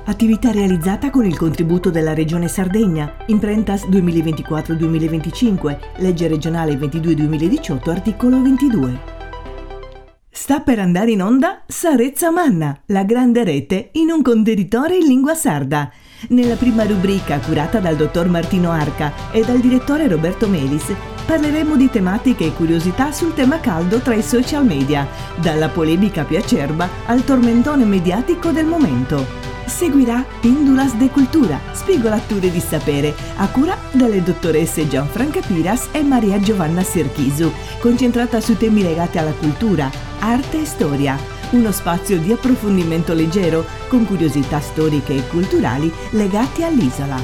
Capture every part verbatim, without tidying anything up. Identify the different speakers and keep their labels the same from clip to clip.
Speaker 1: Attività realizzata con il contributo della Regione Sardegna, Imprentas duemilaventiquattro duemilaventicinque, legge regionale ventidue duemiladiciotto, articolo ventidue. Sta per andare in onda Sa Retza Manna, la grande rete in un contenitore in lingua sarda. Nella prima rubrica, curata dal dottor Martino Arca e dal direttore Roberto Melis, parleremo di tematiche e curiosità sul tema caldo tra i social media, dalla polemica più acerba al tormentone mediatico del momento. Seguirà Pindulas de Cultura, spigolature di sapere, a cura delle dottoresse Gianfranca Piras e Maria Giovanna Serchisu, concentrata su temi legati alla cultura, arte e storia. Uno spazio di approfondimento leggero, con curiosità storiche e culturali legate all'isola.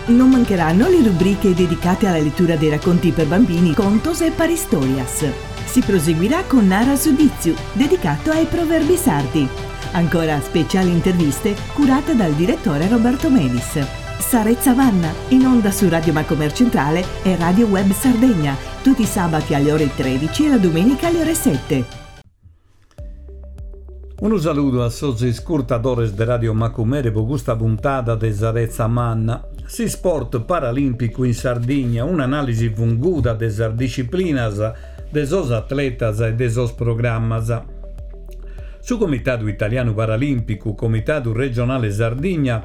Speaker 1: Non mancheranno le rubriche dedicate alla lettura dei racconti per bambini, Contos e Paristorias. Si proseguirà con Nara su Ditzu, dedicato ai proverbi sardi. Ancora speciali interviste curate dal direttore Roberto Melis. Sa Retza Manna, in onda su Radio Macomer Centrale e Radio Web Sardegna, tutti i sabati alle ore tredici e la domenica alle ore sette.
Speaker 2: Unu saludu a sos iscurtadores de Radio Macumere pro custa puntada de Sa Retza Manna. S'isport paralimpicu in Sardigna, un'analisi funguda de sas disciplinas, de sos atletas e de sos programmas. Su Comitadu Italianu Paralimpicu, Comitadu Regionale Sardigna,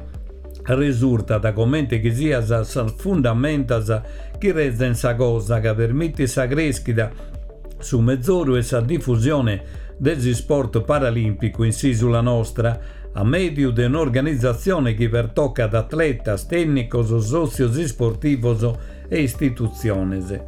Speaker 2: resurtat comente chi siat sas fundamentas chi rezen sa cosa ca permitit sa crèschida, su mezoru e sa difusione de s'isport paralimpicu in s'isula nostra, a mèdiu de un'organizatzione chi pertocat atletas, tènnicos, sòtzios isportivos e istitutziones.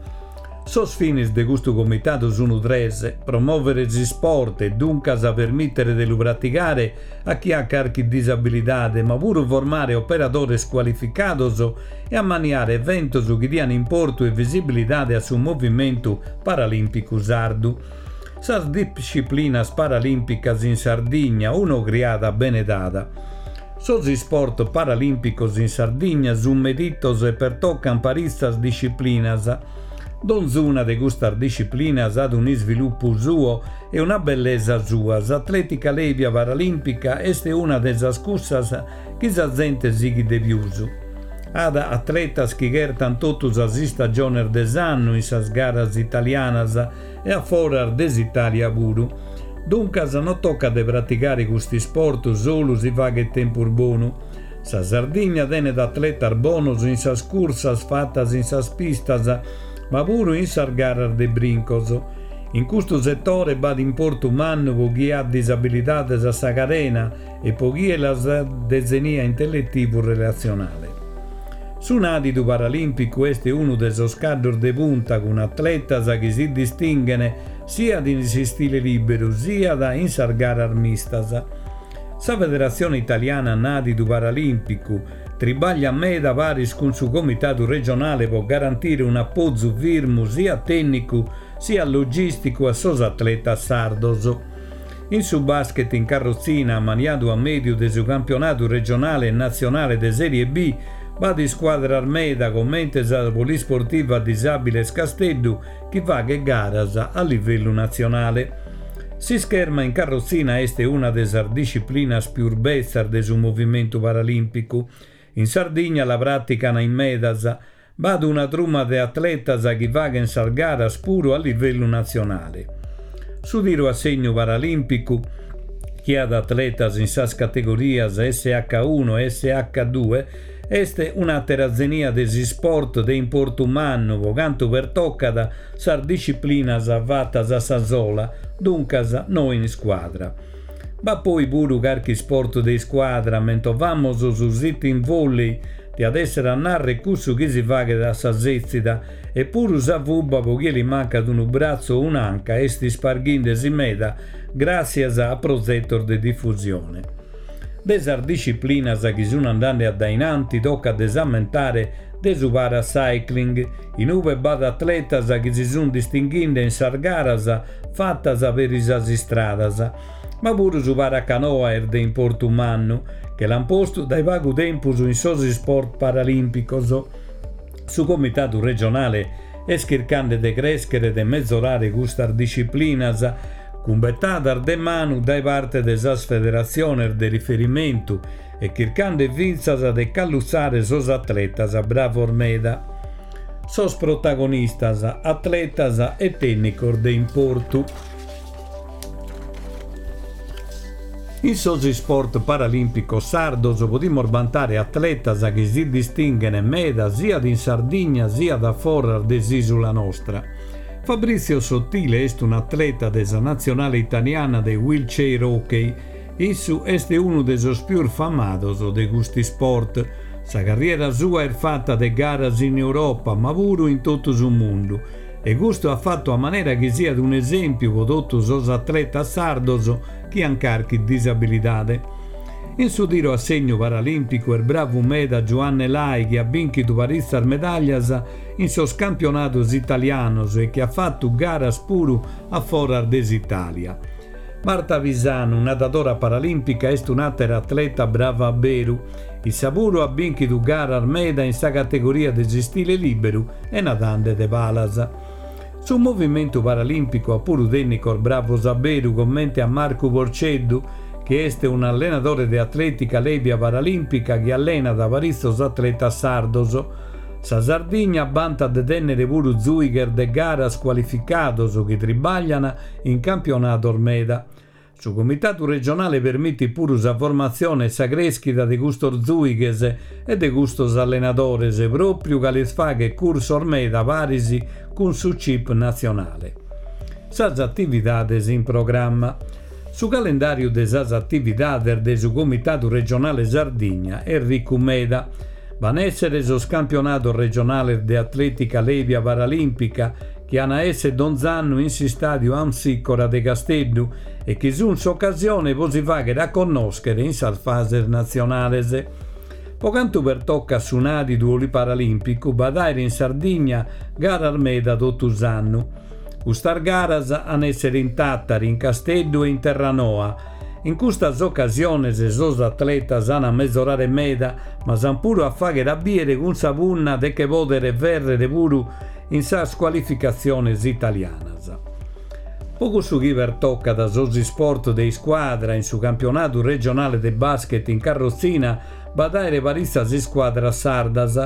Speaker 2: Sos fines de custu comitadu sunt tres: promòvere s'isport e duncas permìtere de lu praticare a chie at carchi disabilidade, ma puru formare operadores cualificados e ammaniare eventos chi dian importu e visibilidade a su movimentu paralimpicu sardu. Sas disciplinas paralimpicas in Sardigna, un'ogriada bene dada. Sos isport paralimpicos in Sardigna sunt meditos e pertocan paritzas disciplinas. Donzuna de custas disciplinas at un'isviluppu suo e una bellesa sua. S'atletica lèbia paralimpica est una de sas cussas chi sa zente sighit de pius. At atletas chi chertan totu sas istagiones de s'annu in sas garas italianas e a foras de s'Italia puru. Duncas non tocat de praticare custu isport solu si faghet tempus bonu. Sa Sardigna tenet atletas bonos in sas cursas fatas in sas pistas, ma puru in sas garas de brincos. In custu setore b'at importu mannu pro chie at disabilidades a sa carena e pro chie las de zenia intellettivu-relatzionale. Su nàdidu paralimpicu est unu de sos caddos de punta cun atletas chi si distinghen siat in s'istile liberu siat in sas garas mistas. Sa Federatzione Italiana Nàdidu Paralimpicu tribaglia meda paris cun su Comitadu Regionale pro garantire un'apozu firmu siat tènnicu siat logìsticu a sos atletas sardos. In su basket in carrotzina, ammaniadu a mèdiu de su campionadu regionale e natzionale de Serie B, b'at iscuadras meda comente sa Polisportiva Disàbiles Casteddu chi faghet garas a livellu natzionale. S'ischerma in carrotzina est una de sas disciplinas pius betzas de su movimentu paralimpicu. In Sardigna la pràtican in medas. B'at una truma de atletas chi faghen sas garas puru a livellu natzionale. Su tiru a segnu paralimpicu, chi at atletas in sas categorias S H uno e S H due, est un'àtera zenia de s'isport de importu mannu pro cantu pertocat sas disciplinas fatas a sa sola, duncas no in iscuadra. B'at poi puru carchi isport de iscuadra, mentovamos su sitting volley, diat èssere a narrer cussu chi si faghet a sa sètzida, e puru sa fuba pro chie li mancat unu bratzu o un'anca est isparghindesi meda gràtzias a prozetos de difusione. De sas disciplinas chi sun andende a dainanti tocat de s'ammentare de su paracycling, in ube b'at atletas chi si sun distinghende in sas garas fatas peri sas istradas. Ma puru su paracanoa est de importu mannu, che l'an postu dae pagu tempus in sos isport paralimpicos. Su Comitadu Regionale est chirchende de crèschere e de mezorare custas disciplinas Cun betadas de manu dae parte de sas federatziones de riferimentu e chircande fintzas de callutzare sos atletas bravos meda. Sos protagonistas, atletas e tènnicos de importu. In sos isport paralìmpicos sardos podimus bantare atletas chi si distinghent meda siat in Sardigna siat a foras de s'ìsula nostra. Fabrizio Sottile est un'atleta de sa natzionale italiana de wheelchair hockey. Issu est unu de sos pius famados de custu isport. Sa carriera sua est fata de garas in Europa, ma puru in totu su mundu. E custu at fatu a manera chi siat un'esèmpiu pro totu sos atletas sardos chi ant carchi disabilidade. In su tiro a segnu paralìmpicu est bravu meda Giuanne Lai, chi at bìnchidu paritzas medàllias in sos campionados italianos e chi at fatu garas puru a foras de s'Itàlia. Marta Pisanu, nadadora paralìmpica, est un'àtera atleta brava a beru. Issa puru at bìnchidu garas meda in sa categoria de s'istile lìberu e nadande de palas. Su movimentu paralìmpicu at puru tènnicos bravos a beru comente a Marcu Porceddu, chi est un'allenadore de atlètica lèbia paralìmpica chi allenat paritzos atletas sardos. Sa Sardigna bantat de tènnere puru zùighes de garas cualificados chi tribagliant in campionados meda. Su Comitadu regionale permitit puru sa formatzione e sa crèschida de custos zùighes e de custos allenadores, pròpiu ca lis faghet cursos meda paris cun su C I P natzionale. Sas atividades in programma. Su calendàriu de sas atividades de su Comitadu Regionale Sardigna est ricu meda. Van èssere sos campionados regionales de atlètica lèbia paralìmpica chi an a èssere donz'annu in s'istàdiu Amsicora de Casteddu e chi sunt s'ocasione pro si fàghere a connòschere in sas fases natzionales. Pro cantu pertocat su nàdidu paralìmpicu, b'at àere in Sardigna garas meda totu s'annu. Custas garas an èssere in Tàtari, in Casteddu e in Terranoa. In custas ocasiones sos atletas an a mezorare meda, ma s'an puru a fàghere a bìere cun sa punna de che pòdere fèrrere puru in sas cualificatziones italianas. Pro cussu chi pertocat sos isport de iscuadra in su campionadu regionale de basket in carrotzina b'at àere paritzas iscuadras sardas.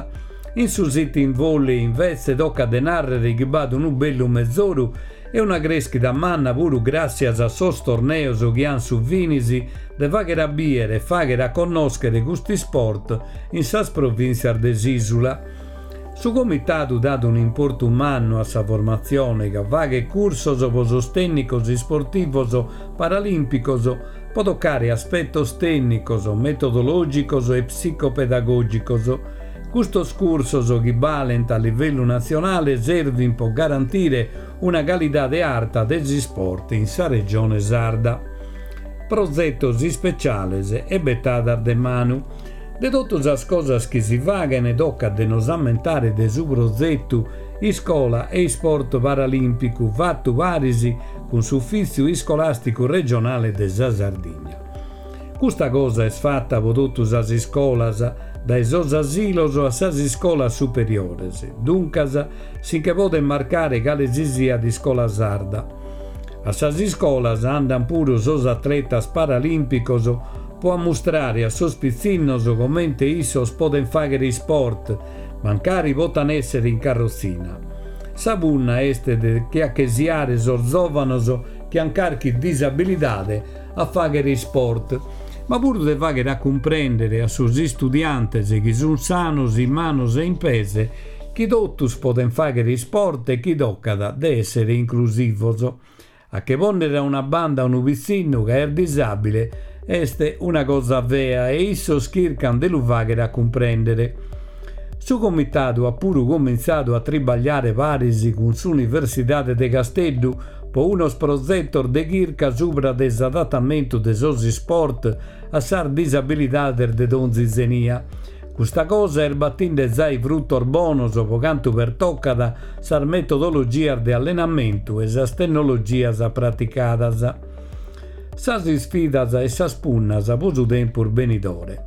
Speaker 2: In su sitting volley invece tocat de nàrrere chi b'at unu bellu mezoru e una crèschida manna puru gràssias a sos torneos chi an su finis de fàghere a bìere e fàghere a connòschere custu isport in sas provìntzias de s'ìsula. Su comitadu dat un'importu mannu a sa formatzione ca faghet cursos pro sos tènnicos isportivos paralìmpicos pro tocare aspetos tènnicos, metodològicos e psicopedagògicos. Custos cursos chi balent a livellu natzionale servint pro garantire una calidade arta de s'isport in sa regione sarda. Progetos ispeciales e betadas de manu. De totu sas cosas chi si faghent tocat de nos ammentare de su progetu Iscola e Isport Paralìmpicu fatu paris cun s'Ufìtziu Iscolàsticu Regionale de sa Sardigna. Custa cosa est fata pro totu sas iscolas, dae sos asilos a sas iscolas superiores. Duncas, si nche podet marcare cale si siat iscola sarda. A sas iscolas andant puru sos atletas paralìmpicos pro ammustrare a sos pitzinnos comente issos podent fàghere isport, mancari potan èssere in carrotzina. Sa punna est de che achesiare sos zòvanos chi ant carchi disabilidade a fàghere isport, ma puru de fàghere a cumprèndere a sos istudiantes chi sunt sanos in manos e in pes chi totus podent fàghere isport e chi tocat de èssere inclusivos. A che pònnere a una banda unu pitzinnu ca est disàbile est una cosa fea e issos chircant de lu fàghere a cumprèndere. Su comitadu at puru comintzadu a tribagliare paris cun s'Universidade de Casteddu pro unos progetos de chirca subra de s'adatamentu de sos isport a sas disabilidades de donzi zenia. Custa cosa est batinde zai frutos bonos pro cantu pertocat sas metodologias de allenamentu e sas tecnologias praticadas. Sas isfidas e sas punnas pro su tempus benidore.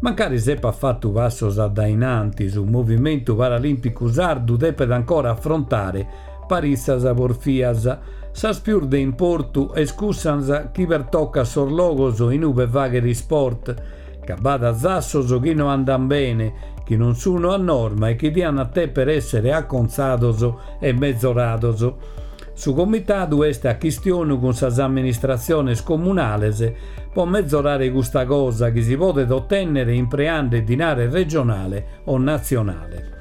Speaker 2: Mancari s'epat fatu passos a dainanti, su movimentu paralìmpicu sardu depet ancora afrontare paritzas porfias. Sas pius de importu est cussas chi pertocat sos logos inube fagher isport, ca b'at zassos chi no andan bene, chi non sono a norma e chi diant deper essere acontzados e mezorados. Su comitadu est a chistionu cun sas amministratziones comunales po mezorare custa cosa chi si podet otennere impreande dinare regionale o natzionale.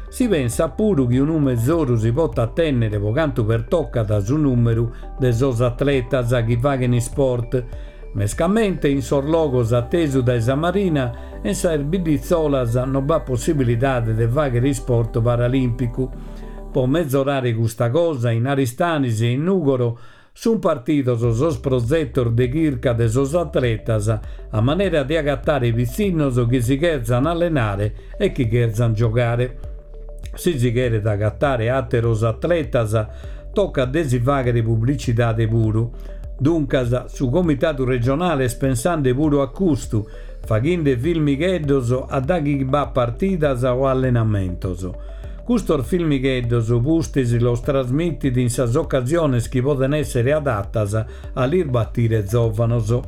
Speaker 2: Si pensa puru chi unu mezoru si potat tennere po cantu pertocat su numeru de sos atletas chi faghen isport, mescamente in sos logos atesu dae sa marina e in sas bidditzolas non b'at possibilidade de faghere isport paralimpicu. Po mezorare custa cosa in Aristanis e in Nugoro sun partidos sos prozetos de chirca de sos atletas a manera de agattare pitzinnos chi si cherzan allenare e chi cherzan giogare. Si si cheret agattare ateros atletas, toccat de si faghere pubblicidade puru. Duncas, su Comitadu Regionale est pensande puru a custu, faghende filmigheddos a daghi b'at partidas o allenamentos. Custos filmigheddos pustis los trasmittit in sas occasiones chi poden essere adattas a lis battire zovanos.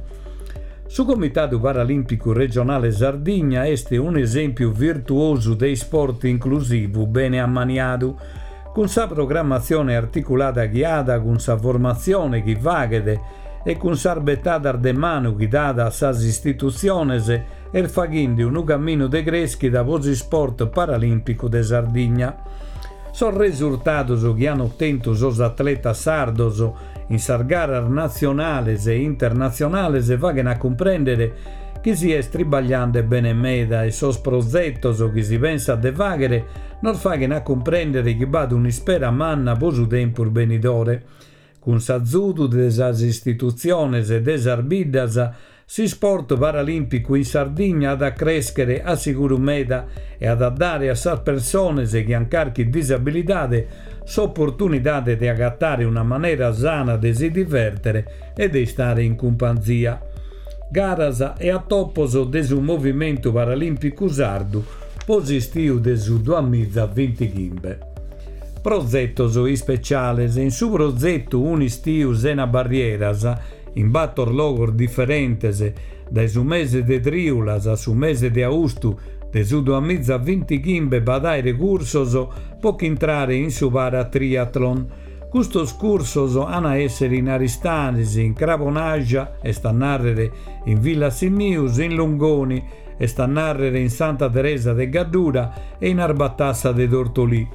Speaker 2: Su Comitadu Paralimpicu Regionale Sardigna est un esempiu virtuosu de isport inclusivu bene ammaniadu, cun sa programmatzione articulada chi at, cun sa formatzione chi faghet e cun sas bettadas de manu chi dat a sas istitutziones est faghende unu camminu de creschida po s'isport paralimpicu de Sardigna. Sos resurtados chi han ottentu sos atletas sardos in sas garas natzionales e internatzionales faghen a cumprendere chi si est tribagliande bene meda e sos prozetos chi si pensat de faghere nos faghen a cumprendere chi b'at un'ispera manna po su tempus benidore. Cun s'azudu de sas istitutziones e de sas biddas, s'isport paralimpicu in Sardigna at a creschere a siguru meda e at a dare a sas persones chi han carchi disabilidade s'opportunidade de agattare una manera sana de si divertere e de istare in cumpanzia. Garas e attopos de su Movimentu Paralimpicu Sardu po s'istiu de su duamizavintighimbe. Prozetos ispeciales. In su prozetu Un'istiu sena barrieras, in battor logos diferentes, dae su mese de triulas a su mese de austu de su duamizavintighimbe b'at aere cursos po ch'intrare in su paratriathlon. Custos cursos han a essere in Aristanis, in Crabonaxa, est a narrere in Villasimius, in Lungoni, est a narrere in Santa Teresa de Gaddura e in Arbatassa de Tortolì.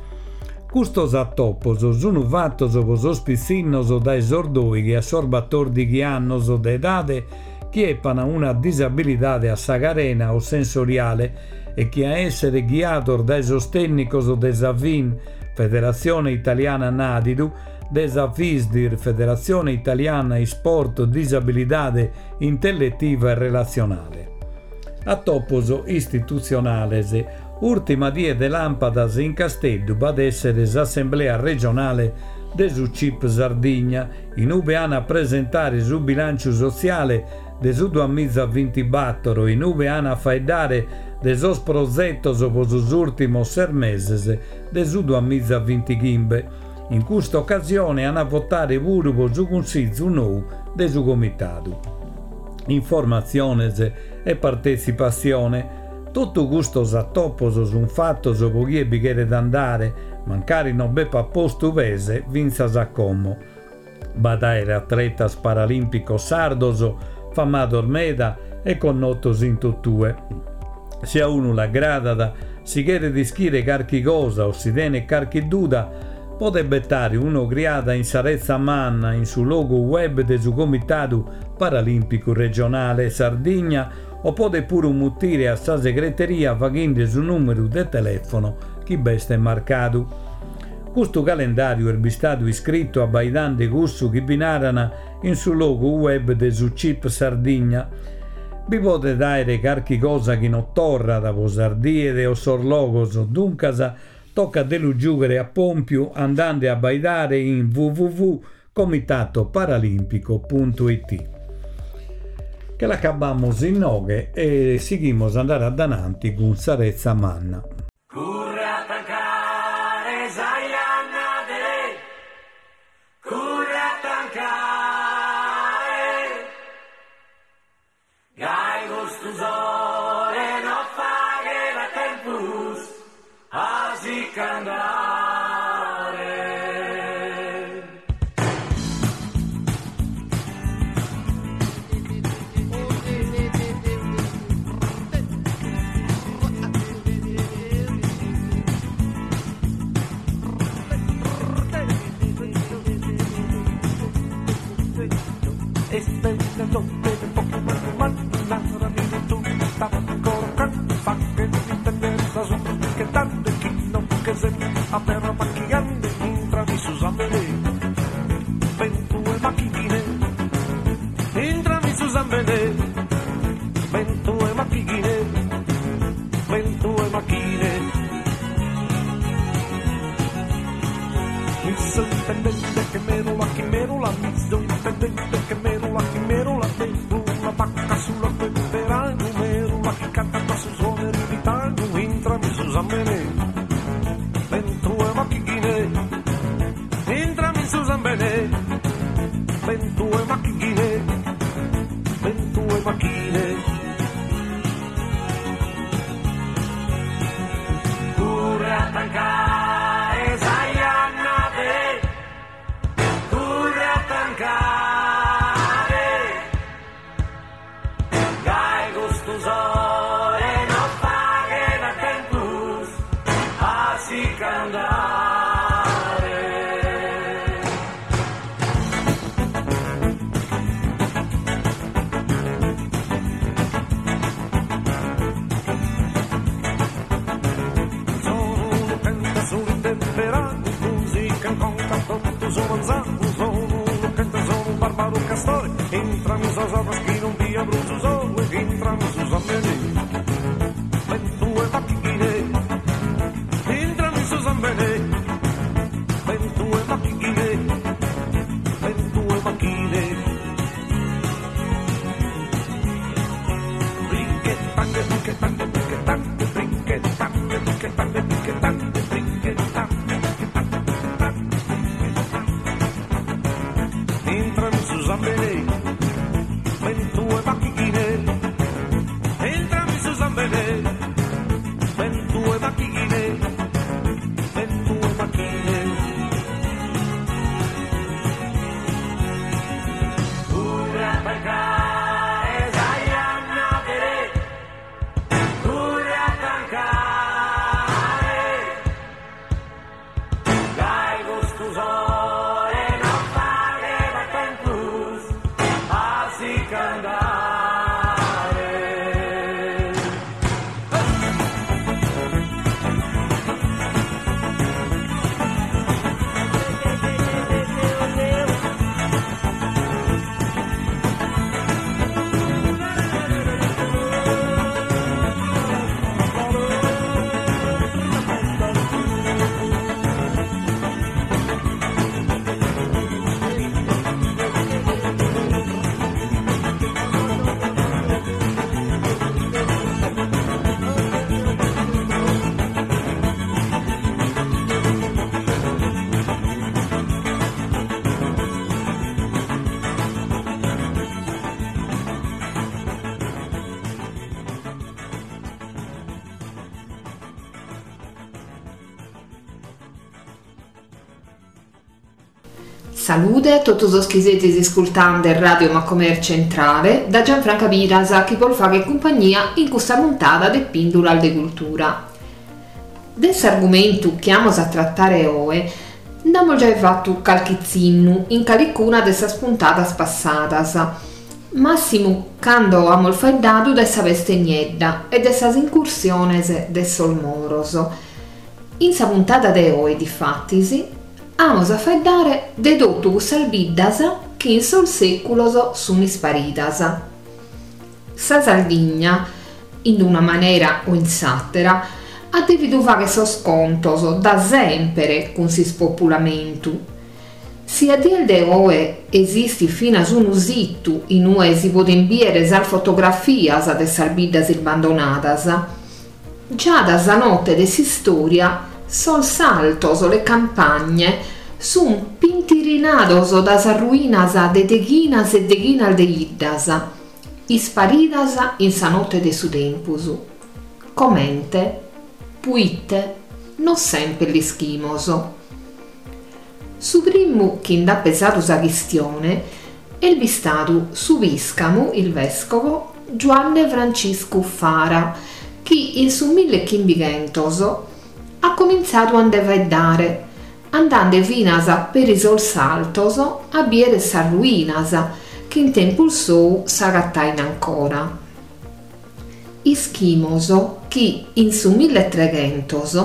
Speaker 2: Custos attopos sunu fattos po sos pitzinnos dae sos doighi a sos battordighi annos de edade chi eppan una disabilidade a sa carena o sensoriale e chi a essere ghiados dae sos tecnicos de sa F I N, Federazione Italiana Nadidu, de sa F I S D I R, Federazione Italiana Isport Disabilidade Intellettiva e Relazionale. Attopos istituzionales. Ultima die de lampadas in Casteddu b'at essere s'Assemblea Regionale de su C I P Sardigna, in ube han a presentare su bilanciu sotziale de su duamizavintibattoro, in ube han a faeddare de sos prozetos po sos ultimos ses meses de su duamizavintighimbe. In custa occasione han a votare puru po su Cunsizzu nou de su Comitadu. Informatziones e partetzipazione. Totu custos attopos sun fattos po chie bi cheret andare, mancari non b'epat postu pese fintzas a como. B'at aere atletas paralimpicos sardos, famados meda e connotos in totue. Se a unu l'agradat, si cheret ischire carchi cosa o si tenet carchi duda, podet bettare un'ogriada in sa Rezza Manna, in su logu web de su Comitadu Paralimpicu Regionale Sardigna, o podet puru mutire a sa segreteria faghende su numeru de telefono chi b'est marcadu. Custu calendariu est bistadu iscrittu abbaidande cussu chi bi naran in su logu web de su C I P Sardigna. Bi podet aere carchi cosa chi non torrat po sas diede o sos logos, duncas toccat de lu giughere a pompiu andande a abbaidare in w w w punto comitato paralimpico punto i t. Che l'acabamos inoghe e sighimos andare adananti cun sa Rezza Manna.
Speaker 3: Curre a tancare sa janna de Salude a totus sos chi sezis iscultande Radio Macomer Centrale da Gianfranca Piras chi bos faghet cumpagnia in custa puntada de Pìndulas de Cultura. De s'argumentu chi amus a tratare oe nd'amus giai fatu calchi tzinnu in calicuna de sas puntadas passadas, massimu cando amus faeddadu de sa peste niedda e de sas incursiones de sos moros. In sa puntada de oe, difatis, amus a faeddare de totu cussas biddas chi in sos sèculos sunt isparidas. Sa Sardigna, in una manera o in s'àtera, at dèvidu fàghere sos contos da semper cun s'ispopulamentu. Si a dies de oe esistit finas unu situ in ue si podent bìdere sas fotografias de sas biddas isbandonadas, già da sa note de s'istòria sos saltos, le campagne, sunt pintirinados da sas ruinas de deghinas e deghinas de 'iddas, isparidas in sa note de su tempus. Comente? Puite? Non semper l'ischimos. Su primu chi nd'at pesadu sa chistione est bistadu su pìscamu, il vescovo, Giuanne Franciscu Fara, chi in su millechimbighentos at comintzadu a nde faeddare, andende finas peri sos saltos a bìdere sas ruinas chi in tempus sou s'agatain ancora. Ischimos chi in su milletreghentos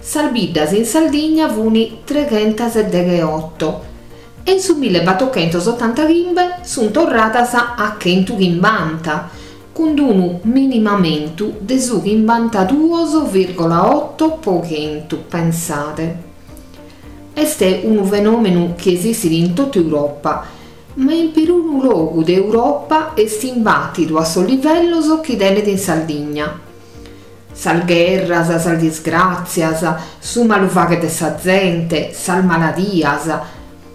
Speaker 3: sas biddas in Sardigna funi treghentas e degheoto e in su millebatochentos otantachimbe sunt torradas a chentu chimbanta, cun unu minimamentu de su chimbantaduos vìrgola oto po chentu, pensade. Est unu fenòmenu chi esistit in totu Europa, ma in perunu logu de Europa est imbàtidu a sos livellos chi tenet in Sardigna. Sas gherras, sas disgràtzias, su malufaghe de sa zente, sas maladias,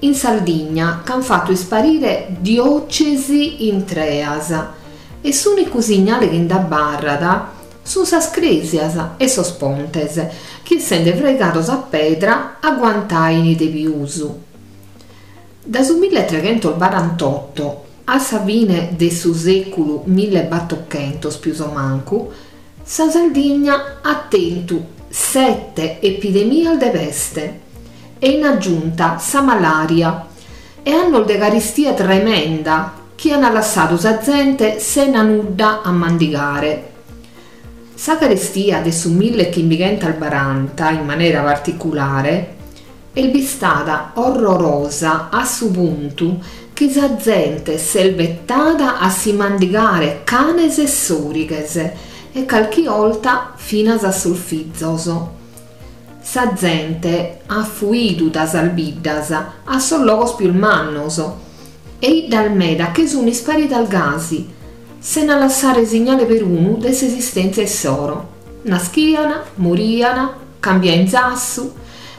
Speaker 3: in Sardigna ch'ant fatu isparire diòcesi intreas e s'ùnicu signale chi nd'abarrat sunt sas crèsias e sos pontes, chi essende fraigados a pedra aguantain de pius. Da su milletreghentos barantotto a sa fine de su sèculu millebatochentos pius o mancu, sa Sardigna at tentu sete epidemias de peste e in aggiunta sa malària e annos de caristia tremenda chi an lassadu sa zente sena nudda a mandigare. Sa carestia de su millechimbighentos baranta, in manera particulare, est bistada orrorosa a su puntu chi sa zente s'est betada a si mandigare canes e sòrighes e calchi 'olta finas a sos fizos. Sa zente at fuidu da sas biddas a sos logos pius mannos e 'iddas meda che sun isparidas gasi, sena lassare signale perunu de s'esistèntzia issoro. Naschian, morian, cambiain zassu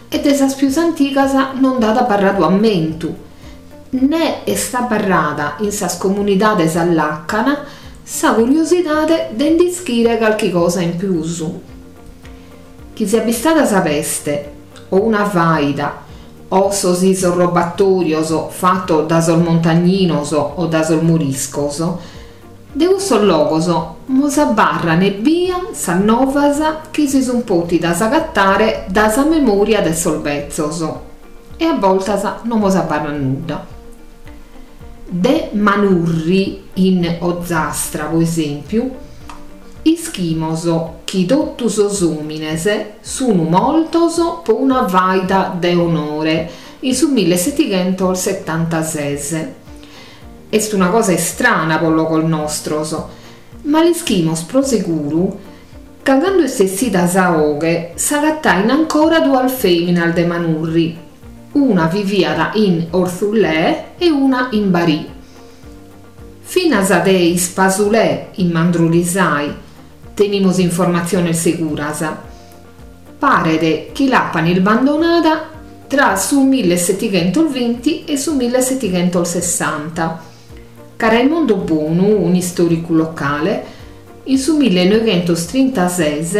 Speaker 3: e de sas pius antigas non nd'at abarradu ammentu, ne est abarrada in sas comunidades a làcana sa curiosidade de nd'ischire calchi cosa in pius. Chi siat bistada sa peste o una faida o sos isorrobatorios fatos da sos montagninos o da sos moriscos, de cussos logos mos abarran ebbia sas novas chi si sun pòtidas agatare da sa memòria de sos betzos e a boltas non mos abarrat nudda. De Manurri in Ozastra, po esèmpiu, ischimos chi totu sos òmines sun mortos po una faida de onore in su millesetighentos setantases. Est una cosa istrana po logos nostros, ma l'ischimos pro seguru ca cando est essida sa 'oghe s'agatain ancora duas fèminas de Manurri, una viviat in Orthullè e una in Barì. Finas de Ispasulè in Mandrolisai tenimos informatziones seguras. Paret chi l'apan ilbandonada tra su millesetighentos binti e su millesetighentos sessanta. Ca Raimondo Bonu, un'istòricu locale, in su millenoghentos trintases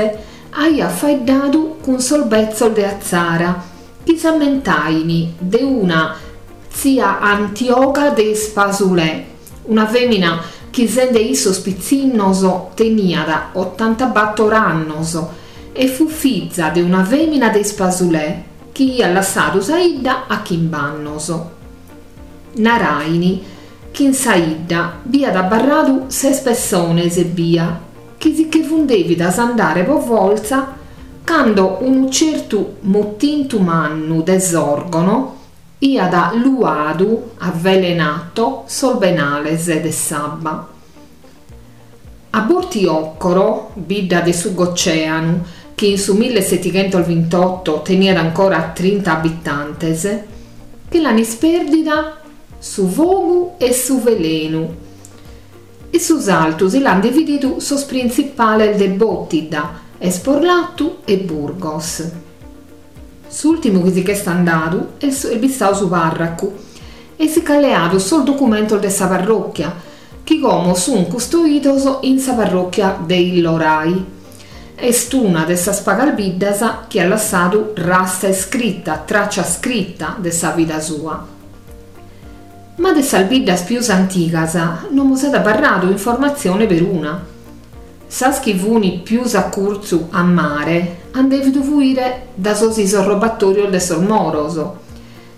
Speaker 3: aiat faeddadu cun sos betzos de Atzara, chi s'ammentaini de una tzia Antioga de Ispasulè, una fèmina chi sende issos pitzinnos teniat otantabator annos e fu fiza de una fèmina de Ispasulè chi iat lassadu sa 'idda a chimb'annos. Naraini chi in sa 'idda b'iat abarradu ses pessones ebbia, chi si che fun dèvidas andare po fortza cando unu certu motintu mannu de Sòrgono iat luadu, avvelenato, sos benales de s'abba. A Bortiocoro, bidda de su Goceanu, chi in su millesetighentos vintotto teniat ancora trinta abitantes, che l'an ispèrdida su fogu e su velenu. E su saltu si l'an divididu sos printzipales de Bòtida, Esporlatu e Burgos. S'ùrtimu chi si ch'est andadu est bistadu su pàrracu e si ch'at leadu sos documentos de sa parròchia, chi como sun custoidos in sa parròchia de Illorai. Est una de sas pagas biddas chi at lassadu rasta iscrita, traccia scritta de sa vida sua. Ma de sas biddas pius antigas non mos at abarradu informatzione peruna. Sas chi funi pius a curtzu a mare an dèvidu fuire da sos isorrobatorios de sos moros,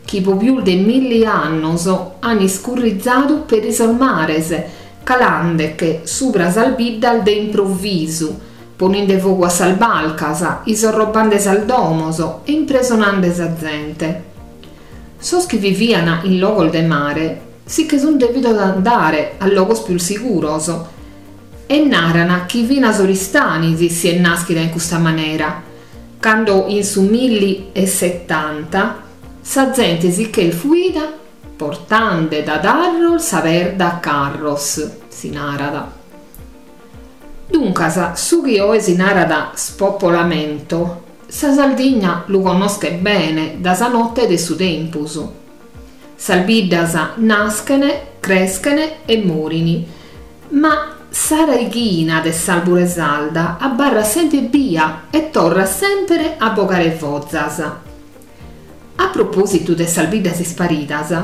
Speaker 3: chi po pius de milli annos an iscurrizadu peri sos mares, calandeche subra sas biddas de improvvisu, poninde fogu a sas barcas, isorrobande sas domos e impresonande sa zente. Sos chi vivian in logos de mare si che sun dèvidos andare a logos pius siguros e naran chi finas Oristanis si est nàschida in custa manera, cando in su milli e setanta sa zente si ch'est fuida portande da Tharros sa perda a carros, si narat. Duncas, su chi oe si narat spopolamento, sa Sardigna lu connoschet bene da sa notte de su tempus. Sas biddas naschene, creschene e morini, ma sa raighina de s'arbure sarda abarrat sempre bia e torrat sempre a bogare fozas. A propositu de sas biddas isparidas,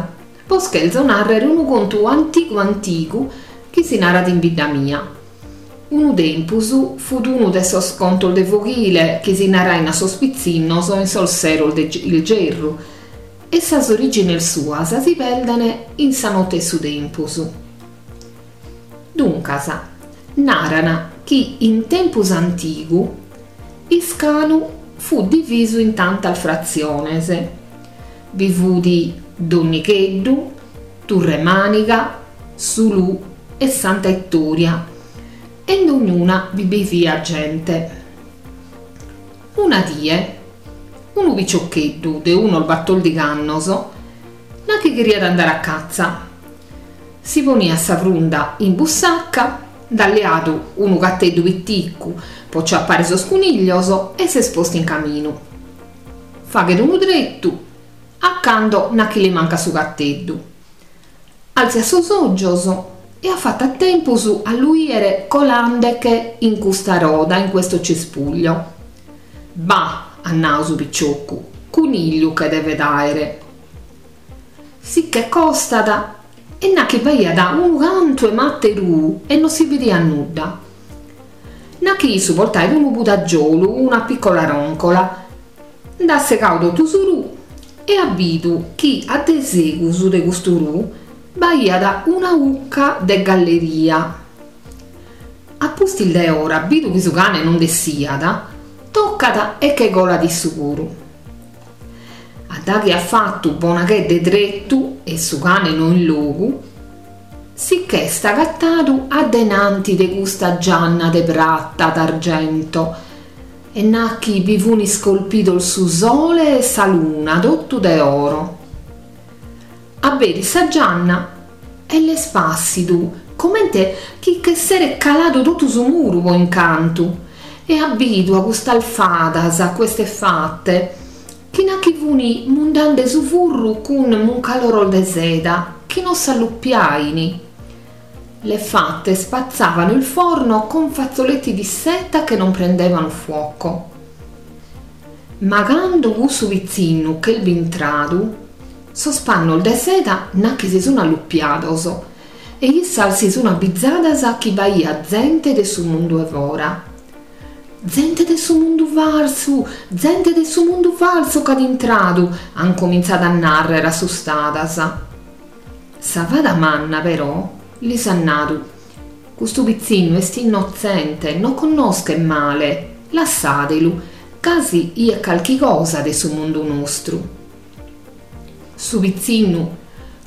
Speaker 3: bos cherzo narrere unu contu antigu antigu chi si narat in bidda mia. Unu tempus fut unu de sos contos de foghile chi si narain a sos pitzinnos in sos seros de ilgerru e sas origines suas si perdene in sa notte 'e su tempus. Duncas, naran chi in tempus antigu Iscanu fut divisu in tantas fratziones. Bi fut Donnigheddu, Turre Maniga, Sulù e Santa Ittoria e in dognuna bi biviat gente. Una die, unu piciocheddu de unos batòrdighi annos nachi cheriat andare a catza. Si poniat sa frunda in bussacca, nd'at leadu unu catteddu piticu po ciappare sos cuniglios e s'est postu in caminu. Faghet unu tretu a cando nachi li mancat su catteddu. Altziat sos ogios e at fattu a tempus a lu 'iere colandeche in custa roda, in questo cespuglio. Bah, at nadu su picioccu, cunigliu che devet aere. Si che costat e nachi b'aiat unu cantu 'e matta 'e ruu e non si bidiat nudda. Nachi issu portait unu pudagiolu, una piccola roncola, nd'at segadu totu su ruu e at bidu chi a de segus de custu ruu b'aiat una 'ucca de galleria. A pustis de ora, bidu chi su cane non nd'essiat, toccat e che colat issu puru. A daghi at fattu bona chedda 'e tretu e su cane no in logu, si ch'est agattadu a denanti de custa gianna de prata d'argento e nachi bi fun iscolpidos su sole e sa luna totu de oro. Aberit sa gianna e l'est passidu comente chi ch'esseret caladu totu su muru po incantu e at bidu a custas fadas, a queste fate, chi nachi funi mundande su furru cun muncaloros de seda chi non s'alluppiaini. Le fate spazzavano il forno con fazzoletti di seta che non prendevano fuoco. Ma cando cussu pitzinnu ch'est bintradu, sos pannos de seda nachi si sun alluppiados e issas si sun abbizadas chi b'aiat zente de su mundu 'e fora. Zente de su mundu farsu, zente de su mundu falsu ch'at intradu, an comintzadu a narrere assustadas. Sa fada manna però lis at nadu, custu pitzinnu est innotzente, non connoschet male, lassadelu, casi 'iet calchi cosa de su mundu nostru. Su pitzinnu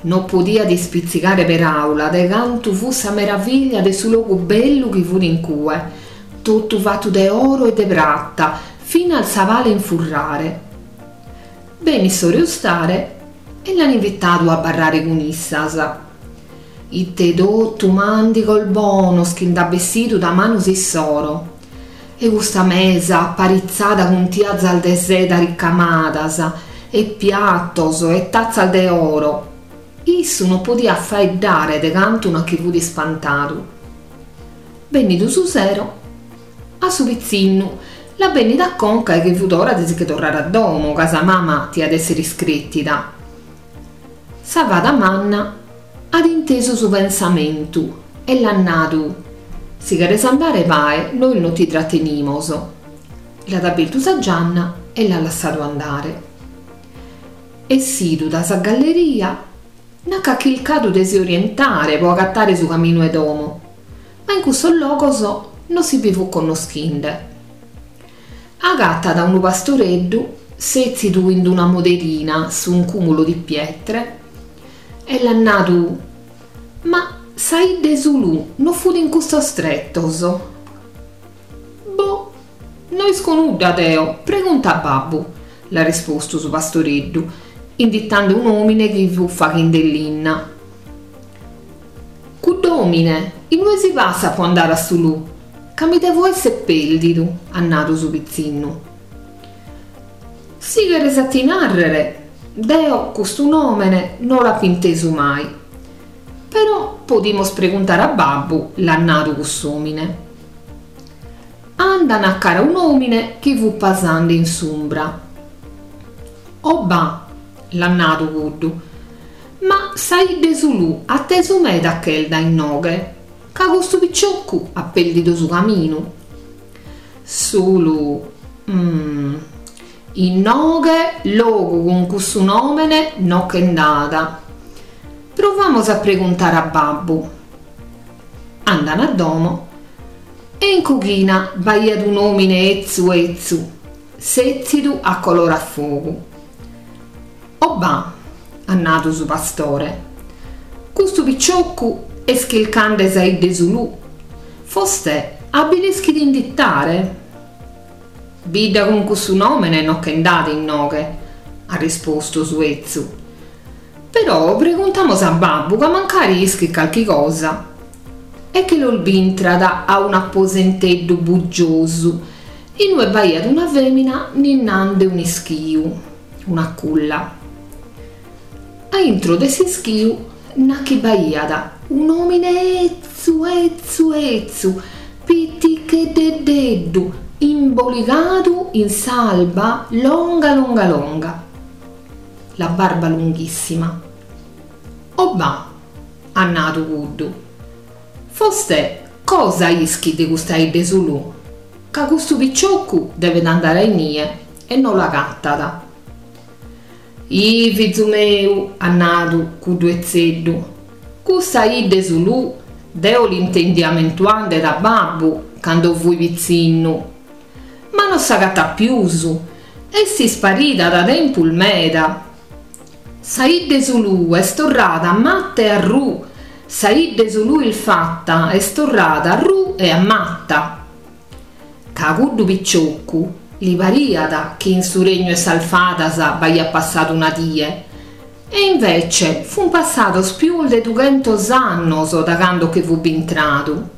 Speaker 3: non podiat ispitzigare peraula de cantu fut sa meraviglia de su logu bellu chi fut in cue, totu fatu de oro e de prata, finas sa pala 'e infurrare. Benit s'ora 'e 'ustare e l'an invitadu a abarrare cun issas. Ite totu màndigos bonos chi nd'at bessidu da manos issoro! E custa mesa aparitzada cun tiazas de seda ricamadas e piatos e tatzas de oro. Issu non podiat faeddare de cantu nachi fut ispantadu. Bennidu su sero, A su pitzinnu l'at bennida a conca chi fut ora de si che torrare a domo, ca sa mama tiat essere iscrètida. Sa fada manna at intesu su pensamentu e l'at nadu: Si cheres andare bae, nois non ti trattenimos. L'at abertu sa gianna e l'at lassadu andare. Essidu da sa galleria, nachi at chircadu de si orientare pro agattare su caminu 'e domo, ma in cussos logos non si bi fut connoschinde. Agattat unu pastoreddu sètzidu in una moderina su un cumulo di pietre e l'at nadu: Ma sa 'idda 'e Sulù non fut in custos trettos? Boh, no isco nudda deo, pregunta a babbu, l'at rispostu su pastoreddu, inditande un'òmine chi fut faghende linna. Cudd'òmine, inue si passat pro andare a Sulù? Ca mi devo esser pèrdidu, at nadu su pitzinnu. Si cheres a ti nàrrere, deo custu nòmene no l'apo intesu mai. Però podimos preguntare a babbu, l'at nadu cuss'òmine. Andan a cara un'òmine chi fut pasande in s'umbra. O ba', l'at nadu cuddu, ma sa 'idda 'e Sulù atesu meda ch'est dae inoghe, ca custu piccioccu at pèrdidu su caminu. Sulù, mm, inoghe logu cun cussu nòmene no che nd'at. Provamos a preguntare a babbu. Andan a domo e in coghina b'aiat un'òmine 'etzu 'etzu, sètzidu a colore a fogu. O ba', at nadu su pastore, custu piccioccu est chircande sa 'idda 'e Sulù. Fostè a bi l'ischit inditare? Bidda cun cussu nòmene no che nd'at inoghe, at rispostu su 'etzu. Però preguntamos a babbu ca mancari ischit calchi cosa. E che los bintrat a un'aposenteddu bugiosu, inue b'aiat una fèmina ninnande un'ischiu, una culla. A intro de s'ischiu nachi b'aiat un'òmine 'etzu 'etzu 'etzu, piticheddededdu, imboligadu in s'alba longa longa longa, la barba lunghissima. O ba', at nadu cuddu, fostè cosa ischit de custa 'idda 'e Sulù? Ca custu piccioccu devet andare a inie e no l'agattat. Ih, fizu meu, at nadu cuddu 'etzeddu, custa 'idda 'e Sulù deo l'intendia mentuande da babbu cando fui pitzinnu, ma non s'agattat pius, est isparida da tempus meda. Sa 'idda 'e Sulù est torrada a matta e a ru, sa 'idda 'e Sulù ilfatta est torrada a ru e a matta. Ca cuddu piccioccu li pariat chi in su regnu 'e sas fadas b'aiat passadu una die, e invece fun passados pius de dughentos annos da cando che fut bintradu.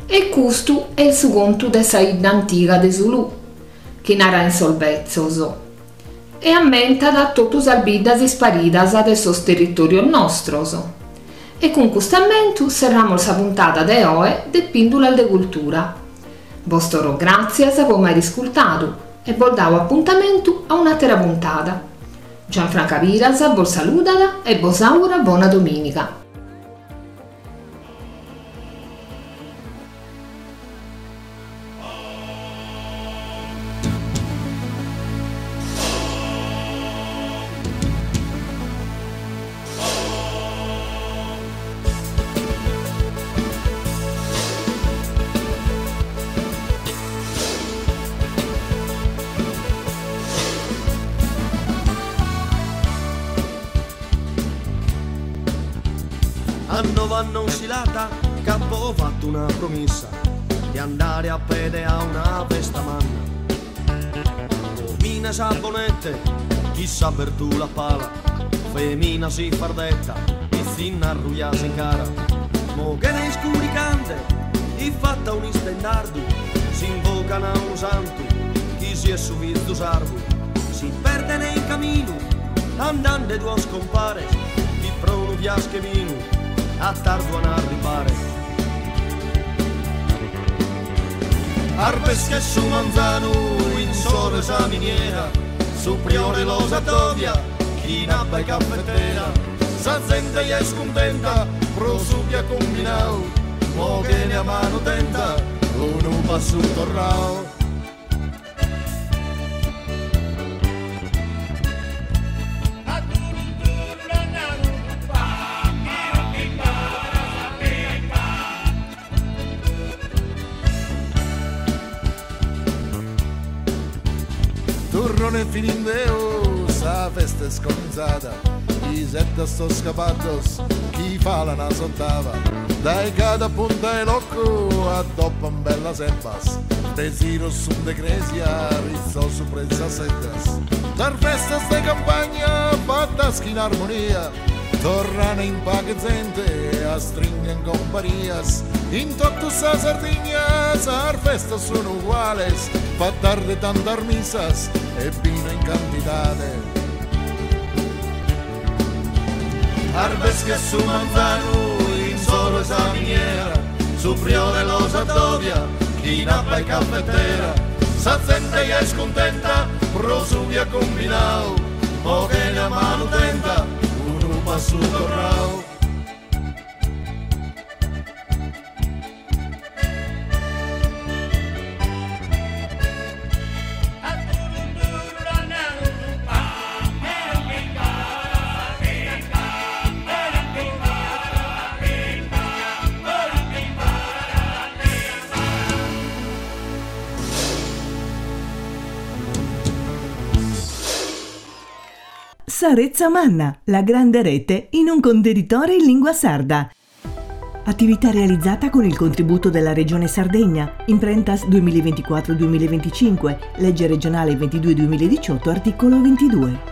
Speaker 3: E custu est su contu de sa 'idda antiga de Sulù, chi narain sos betzos, e ammentat totu sas biddas isparidas de sos territorios nostros. E cun custu ammentu serramos sa puntada de oe de Pìndulas de Cultura. Bos torro gràtzias po m'aer iscultadu e bos dao apuntamentu a un'àtera puntada. Gianfranca Piras bos saludat e bos augurat bona domìniga.
Speaker 4: Anno vanno insilata, capo ho fatto una promessa di andare a pede a una festa manna. Mina sabonette, chissà per tu la pala, femina si fardetta, pizzinna arruia in cara. Mo che nei scuricante, i fatta un istendardo, si invocano a un santo, chi si è su vizzo sardo, si perde nei camino, andando due scompare, chi pro un fiasche vino, a tardo an arrivare. Arbesche su manzanu in sole sa miniera, su priore los addovia, chi in abba e caffettera, sa gente è scontenta, pro su che ha combinau, mo che ne a mano tenta, uno passo torrao. Turrone finindeo, sa festa è scominzata, i sette sto scapatos, chi fa la nasottava, dai cada punta e locco, a doppa un bella sebbas, desiro sun de cresia, rizzo su prezza seddas. Dar festas de campagna, fattas in armonia, torrano in paga gente, a stringen comparias, in tutta sa Sardigna, sar festas sono uguales, fa tarde tantas misas e vino in quantità. Arbesche su manzanu in solo esa miniera, su priore los addovia, chi in abba e caffettera, sa gente è scontenta, pro su via combinau, mo che ne a mano tenta, uno passo torrao.
Speaker 1: Sa Retza Manna, la grande rete in un contenitore in lingua sarda. Attività realizzata con il contributo della Regione Sardegna, Imprentas duemilaventiquattro duemilaventicinque, legge regionale ventidue duemiladiciotto, articolo ventidue.